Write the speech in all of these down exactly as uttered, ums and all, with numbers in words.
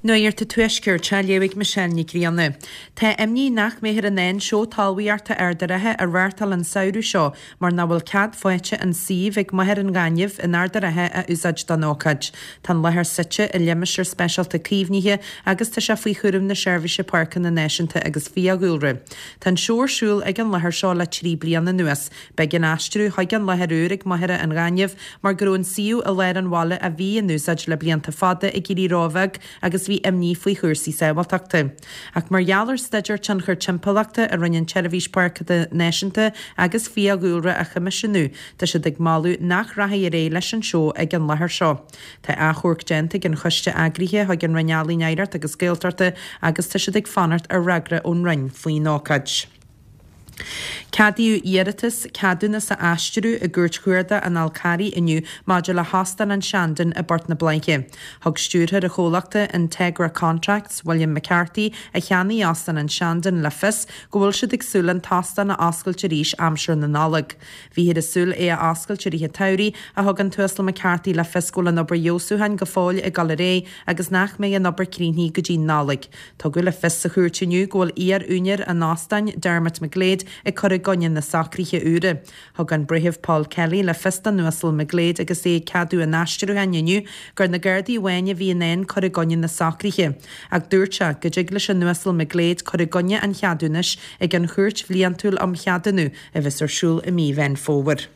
Nuacht an Tuaiscirt á léamh ag Michelle Nic Grianna. Tá imní nach mbeifear in ann seó talmhaíochta Ard an Rátha a reáchtáil an samhradh seo mar nach bhfuil cead faighte an suíomh ag Machaire an Ghainimh in Ard an Rátha a úsáid don ócáid. Tá an láthair suite i limistéar speisialta caomhnaithe agus tá sé faoi chúram na Seirbhíse Páirceanna Náisiúnta agus Fiadhúlra. Tá an seó ar siúl ag an láthair seo le trí bliana anuas. B'éigean aistriú chuig an láthair úr ag Machaire an Ghainimh mar go raibh an suíomh i lár an bhaile a bhí in úsáid le blianta fada ag éirí róbheag agus bhí imní faoi chúrsaí sábháilteachta. Ach mar gheall ar staidéar tionchar timpeallachta a rinne an tSeirbhís Páirceanna Náisiúnta agus Fiadhúlra a choimisiúnú, tá siad ag moladh nach rachaidh ar aghaidh leis an seó ag an láthair seo. Tá achomharc déanta ag an choiste eagraithe chuig an Roinn Ealaíon Oidhreachta agus Gaeltachta agus tá siad ag fanacht ar fhreagra ón Roinn faoin ócáid. Ceadaíodh iarratas ceadúnas a aistriú i gCúirt Chuarda an Fhál Carraigh inniu maidir le hÓstán an Shandon i bPort na Bláiche. Thug stiúrthóir an chomhlachta Integra Contracts, William McCarthy, a cheannaigh Óstán an Shandon le fios go bhfuil siad ag súil an t-óstán a oscailt arís aimsir na Nollag. Bhíothas ag súil é a oscailt i rith an tsamhraidh ach thug an tUasal McCarthy le fios go bhfuil an obair fheabhsúcháin go fóill ag dul ar aghaidh agus nach mbeidh an obair críochnaithe go dtí Nollaig. Tugadh le fios sa chúirt inniu go bhfuil iar-úinéir an óstáin, Dermot McGlade, ag cur i gcoinne na socruithe úra. Thug an Breitheamh Paul Kelly le fios don Uasal McGlade agus é ag ceadú an aistriúcháin inniu gur na Gardaí amháin a bhí in ann cur i gcoinne na socruithe. Ach dúirt sé go dtig leis an Uasal McGlade cur i gcoinne an cheadúnais ag an Chúirt Bhliantúil um Cheadúnú a bheas ar siúl i mí Mheán Fómhair.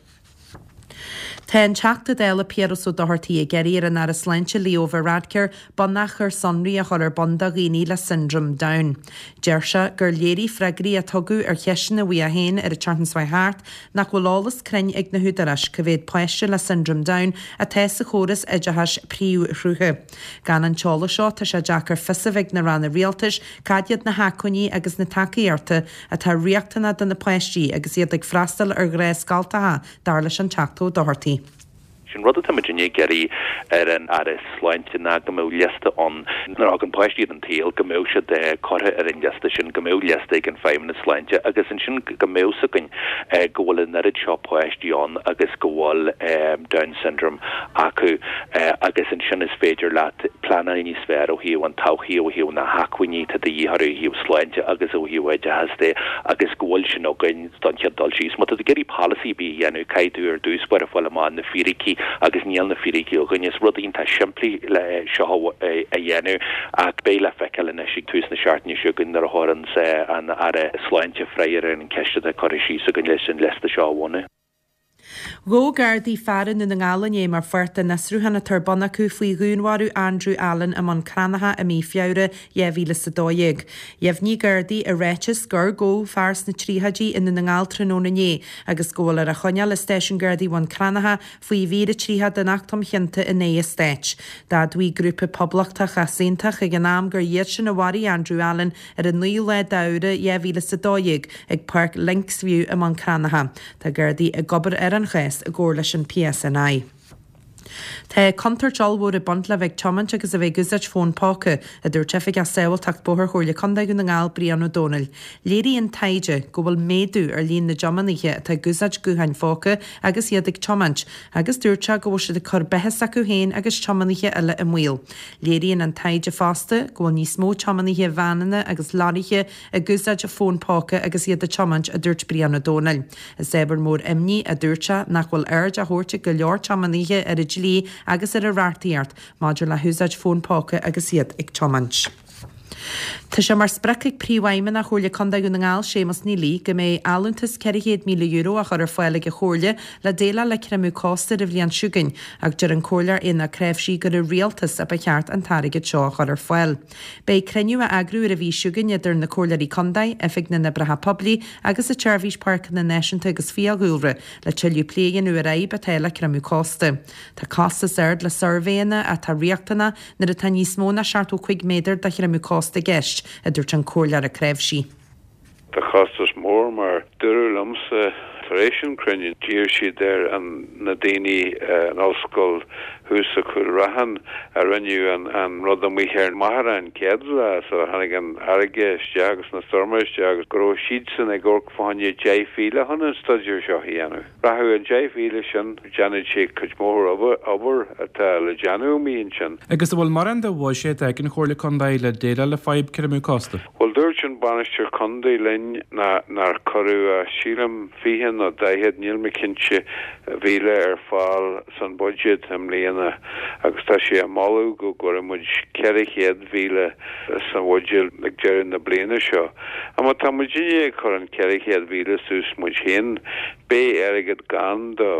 Tá an Teachta Dála Piaras Ó Dochartaigh ag iarraidh ar an Aire Sláinte Leo Varadkar bunachar sonraí a chur ar bun do dhaoine le Syndrome Down. Deir sé gur léirigh freagraí a tugadh ar cheisteanna uaidh féin ar an tseachtain seo thart nach bhfuil eolas cruinn ag na húdaráis cá mhéad páiste le Syndrome Down atá sa chóras oideachais príomhshrutha. Gan an t-eolas seo tá sé deacair fios a bheith ag na ranna rialtais cad iad na hacmhainní agus na tacaíochtaí atá riachtanach do na páistí agus iad ag freastal ar ghnáthscoltacha dar leis an Teachta Ó Dochartaigh. Sin rud atá muid ag iarraidh ar an Aire Sláinte ná go mbeadh liosta ann nuair a thagann páistí ar an tsaol go mbeadh siad curtha ar an liosta sin go mbeadh liosta ag an Feidhmeannas Sláinte agus ansin go mbeadh a fhios againn go bhfuil an oiread seo páistí ann agus go bhfuil Down syndrome acu agus ansin is féidir leat pleanáil níos fearr ó thaobh an todhchaí ó thaobh na hacmhainní atá de dhíth ó thaobh sláinte agus ó thaobh oideachas de agus go bhfuil sin againn don chéad dul síos. Má tá tú ag iarraidh polasaí a dhéanamh caithfidh tú ar dtús báire fáil amach na fíricí agus níl na fíricí againn is rud iontach simplí le seo a dhéanamh ach beidh le feiceáil anois ag tús na seachtaine seo chugainn nuair a chuireann an Aire Sláinte freagra ar an cheist atá curtha síos againn leis an liosta seo a bhunú. Ghabh Gardaí fear i nDún na nGall inné mar pháirt den fhiosrúchán atá ar bun acu faoi dhúnmharú Andrew Allen i mBun Cranncha i mí Feabhra dhá mhíle is a dó dhéag. Dheimhnigh Gardaí i ráiteas gur gabhadh fear sna tríochaidí i nDún na nGall tráthnóna inné agus go bhfuil ar a choinneáil i stáisiún Gardaí Bhun Cranncha faoi mhír a tríocha den Acht um Chionta in aghaidh an Stáit. D'admhaigh grúpa poblachtach easaontach ag an am gur iad sin a mharaigh Andrew Allen ar an naoú lá d'Fheabhra dhá mhíle is a dó dhéag ag Páirc Linksview i mBun Cranncha. Tá Gardaí ag obair ar an chás i gcomhar leis an PSNI. Tá contúirt ollmhór ag baint le bheith ag tiomáint agus a bheith ag úsáid fón póca, a dúirt Oifigeach Sábháilteacht Bóthair Chomhairle Contae Dhún na nGall Brian Ó Dónaill. Léiríonn taighde go bhfuil méadú ar líon na dtiománaithe atá ag úsáid gutháin phóca agus iad ag tiomáint, agus dúirt sé go bhfuil siad ag cur beatha s'acu féin agus tiománaithe eile i mbaol. Léiríonn an taighde fosta go bhfuil níos mó tiománaithe veaineanna agus leoraithe ag úsáid fón póca agus iad ag tiomáint, a dúirt Brian Ó Dónaill. Is ábhar mór imní, a dúirt sé, nach bhfuil aird á thabhairt ag go leor tiománaithe ar an dlí agus ar an reachtaíocht maidir le húsáid fón póca agus iad ag tiomáint. Tá sé mar sprioc ag Príomhfheidhmeannach Chomhairle Contae Dhún na nGall, Séamus Neely, go mbeidh allúntas ceithre chéad míle euro á chur ar fáil ag an Chomhairle le déileáil le creimeadh cósta ar an bhliain seo chugainn, ach deir an Comhairleoir Éanna Ó Cnáimhsí gur an Rialtas a ba cheart an t-airgead seo a chur ar fáil. Beidh cruinniú á eagrú ar an mhí seo chugainn idir na Comhairleoirí Contae, Oifig na nOibreacha Poiblí agus an tSeirbhís Páirceanna Náisiúnta agus Fiadhúlra le tuilleadh plé a dhéanamh ar fhadhb atá le creimeadh cósta. Tá costas ard le suirbhéanna atá riachtanach nuair atá níos mó ná seachtó cúig méadar de chreimeadh cósta i gceist, a dúirt an Comhairleoir Ó Cnáimhsí. Tá costas mór mar dúradh liomsa tar éis an cruinniú d'iarr siad ar an na daoine an ollscoil thuas sa Chúil Raithin a rinneadh an, an rud amuigh ar Mhachaire an chéad lá so tháinig an fharraige isteach agus na stoirm isteach agus go raibh siadsan ag amharc fá choinne deich mhíle chun an staidéar seo a dhéanamh. Rachadh an deich mhíle sin déanfaidh sé cuid mhór obair atá le déanamh amuigh ansin. Agus an bhfuil mórán de bhuiséad ag an Chomhairle Contae le déileáil le fadhb cur amú cósta. Well dúirt an bainisteoir contae linn ná nár cuireadh sílim fiche nó daichead níl mé cinnte mhíle ar fáil san budget i mbliana agus tá sé ag moladh go gcuirfidh muid ceithre chéad mhíle san bhuiséad ag deireadh na bliana seo. Má tá muid ag cur an ceithre chéad mhíle suas muid féin, beidh airgead gann do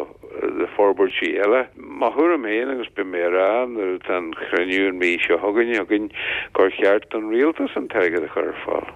do forbairtí eile. Mo thuairim féin agus beidh mé á rá nuair atá an cruinniú an mhí seo chugainn againn gur cheart don rialtas an t-airgead a chur ar fáil.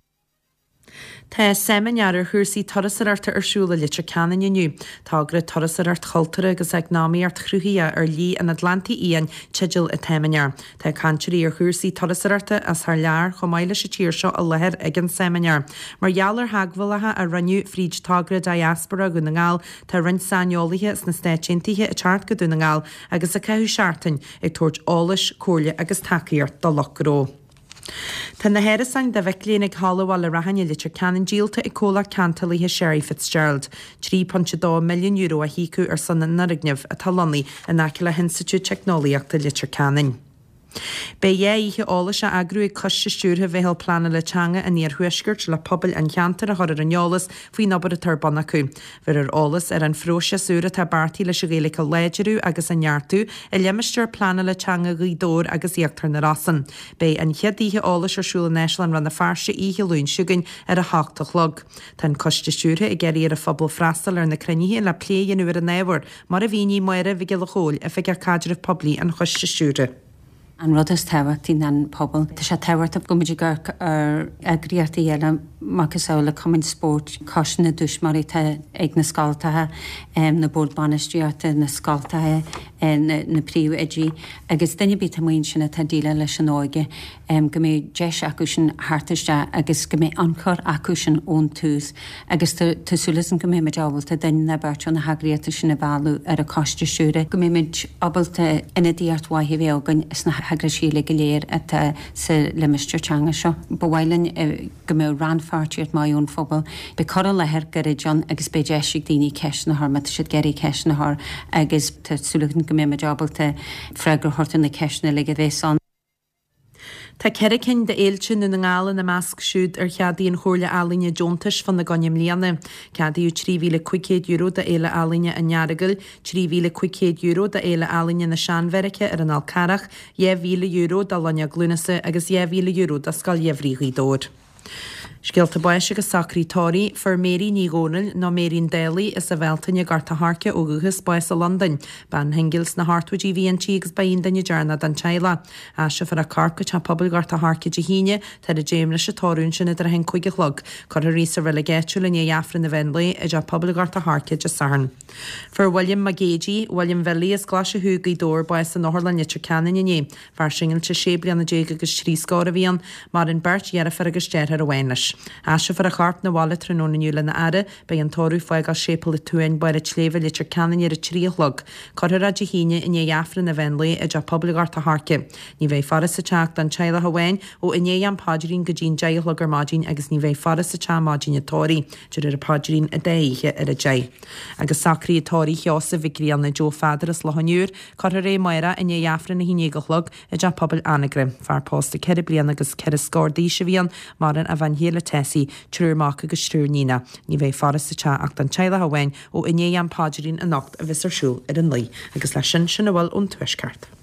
Tá seimineár ar chúrsaí turasóireachta ar siúl i Leitir Ceanainn inniu. Togra Turasóireacht Chultúrtha agus Eacnamaíocht Chruthaitheach ar Shlí an Atlantaigh Fhiáin teideal an tseimineáir. Tá cainteoirí ar chúrsaí turasóireachta as thar lear chomh maith leis an tír seo i láthair ag an seimineár. Mar gheall ar theagmhálacha a rinneadh fríd togra Diaspora Dhún na nGall, tá roinnt saineolaithe sna Stáit Aontaithe ag teacht go Dún na nGall agus ag caitheamh seachtain ag tabhairt eolais, comhairle agus tacaíocht do lucht gnó. Tá na hárasáin do mhic léinn ag Halla Bhaile Raithin i Leitir Ceanainn díolta ag comhlacht ceantálaithe Sherry Fitzgerald. Trí pointe dó milliún euro a híocadh ar son an fhoirgnimh atá lonnaithe in aice le hInstitiúid Teicneolaíochta Leitir Ceanainn. Beidh dhá oíche eolais á eagrú ag Coiste Stiúrtha Mheitheal Pleanála Teanga an Iarthuaiscirt le pobail an cheantair a chur ar an eolas faoin obair atá ar bun acu. Bheirfear eolas ar an phróiseas úr atá beartaithe leis an Ghaeilge a láidriú agus a neartú i limistéar pleanála teanga Ghaoth Dobhair agus Íochtar na Rosann. Beidh an chéad oíche eolais ar siúl in Áislann Rann na Feirste oíche Luain seo chugainn ar a hocht a chlog. Tá an coiste stiúrtha ag iarraidh ar an phobal freastal ar na cruinnithe le plé a dhéanamh ar an ábhar, mar a mhínigh Máire Mhic Giolla Chóill, Oifigeach Caidrimh Poiblí an Choiste Stiúrtha. An rud is tábhachtaí ná an pobal. Tá sé tábhachtach go mbeidh ag amharc ar eagraíochtaí eile macasamhail le cumainn spóirt, coiste na dtuismitheoirí atá ag na scoltacha, na boird bainistíochta, na scoltacha, na, na príomhoidí agus duine ar bith atá amuigh ansin atá ag déileáil leis an óige, go mbeidh deis acu sin theacht isteach agus go mbeidh ionchur acu sin ón tús agus tá tá súil againn go mbeidh muid ábalta duine nó beirt ó na heagraíochtaí sin a mhealladh ar an choiste stiúrtha, go mbeidh muid ábalta ionadaíocht mhaith a bheith againn sna heagraisí uilig go léir atá sa limistéar teanga seo. Ba mhaith linn go mbeadh rannpháirtíocht maith ón phobal. Beidh cur i láthair gairid ann agus beidh deis ag daoine ceisteanna a chur má tá siad ag iarraidh ceisteanna a chur agus tá súil againn go mbeidh muid ábalta freagra a thabhairt ar na ceisteanna uilig a bheas ann. Tá ceithre cinn d'fhéilte i nDún na nGall ina measc siúd ar cheadaigh an Chomhairle Ealaíne deontais fána gcoinne i mbliana. Ceadaíodh trí mhíle cúig chéad euro do Fhéile Ealaíne an Earagail, trí mhíle cúig chéad euro do Fhéile Ealaíne na Seanbheairice ar an Fhál Carrach, dhá mhíle euro do Loinnir Lúnasa agus dhá mhíle euro do Scoil Gheimhridh Ghaoth Dobhair. Scéalta báis agus socruithe tórraimh, Fuair Mary Ní Dhomhnaill, nó Mary an Dálaigh, as an Bhealtaine, Gort a' Choirce ó dhúchas, bás i Londain. Bean shingil sna hochtóidí a bhí inti agus ba í an duine deireanach den teaghlach. Aistreofar a corp go teach pobail Ghort a' Choirce Dé hAoine, tar a deich leis an tórramh ansin idir a haon cúig a chlog. Cuirfear í sa reilig áitiúil i ndiaidh Aifreann an mheán lae i dteach pobail Ghort a' Choirce Dé Sathairn. Fuair William Mac Géidigh, William Bhilly, as Glaise Thuaidh, Gaoth Dobhair, bás in Otharlann Leitir Ceanainn inné. Fear singilte sé bliana déag agus trí scór a bhí ann. Maireann beirt dheirfiúr agus deartháir amháin leis. Aistreofar a chorp 'na bhaile tráthnóna inniu lena fhaire. Beidh an tórramh ag fágáil Séipéal an tSuain, Barr an tSléibhe, Leitir Ceanainn ar a trí a chlog. Cuirfear é Dé hAoine i ndiaidh Aifreann an mheán lae i dTeach Pobail Ghort a' Choirce. Ní bheidh faire sa teach don teaghlach amháin ó i ndiaidh am paidrín go dtí'n deich a chlog ar maidin agus ní bheidh faire sa teach maidin an tórraimh, de réir an paidrín an dá oíche ar a deich. Agus socruithe tórraimh Sheosaimh Mhic Grianna Joe Pheadair as Loch an Iúir, cuirfear é amárach i ndiaidh Aifreann a haon déag a chlog i dTeach Pobail Anagaire. Fear pósta ceithre bliana agus ceithre scór d'aois a bhí ann, maireann a bhean chéile Tessie, triúr mac agus triúr níonach. Ní bheidh faire sa teach ach don teaghlach amháin ó i ndiaidh am paidrín anocht a bheas ar siúl ar a naoi. Agus leis sin, sin a bhfuil ón Tuaisceart.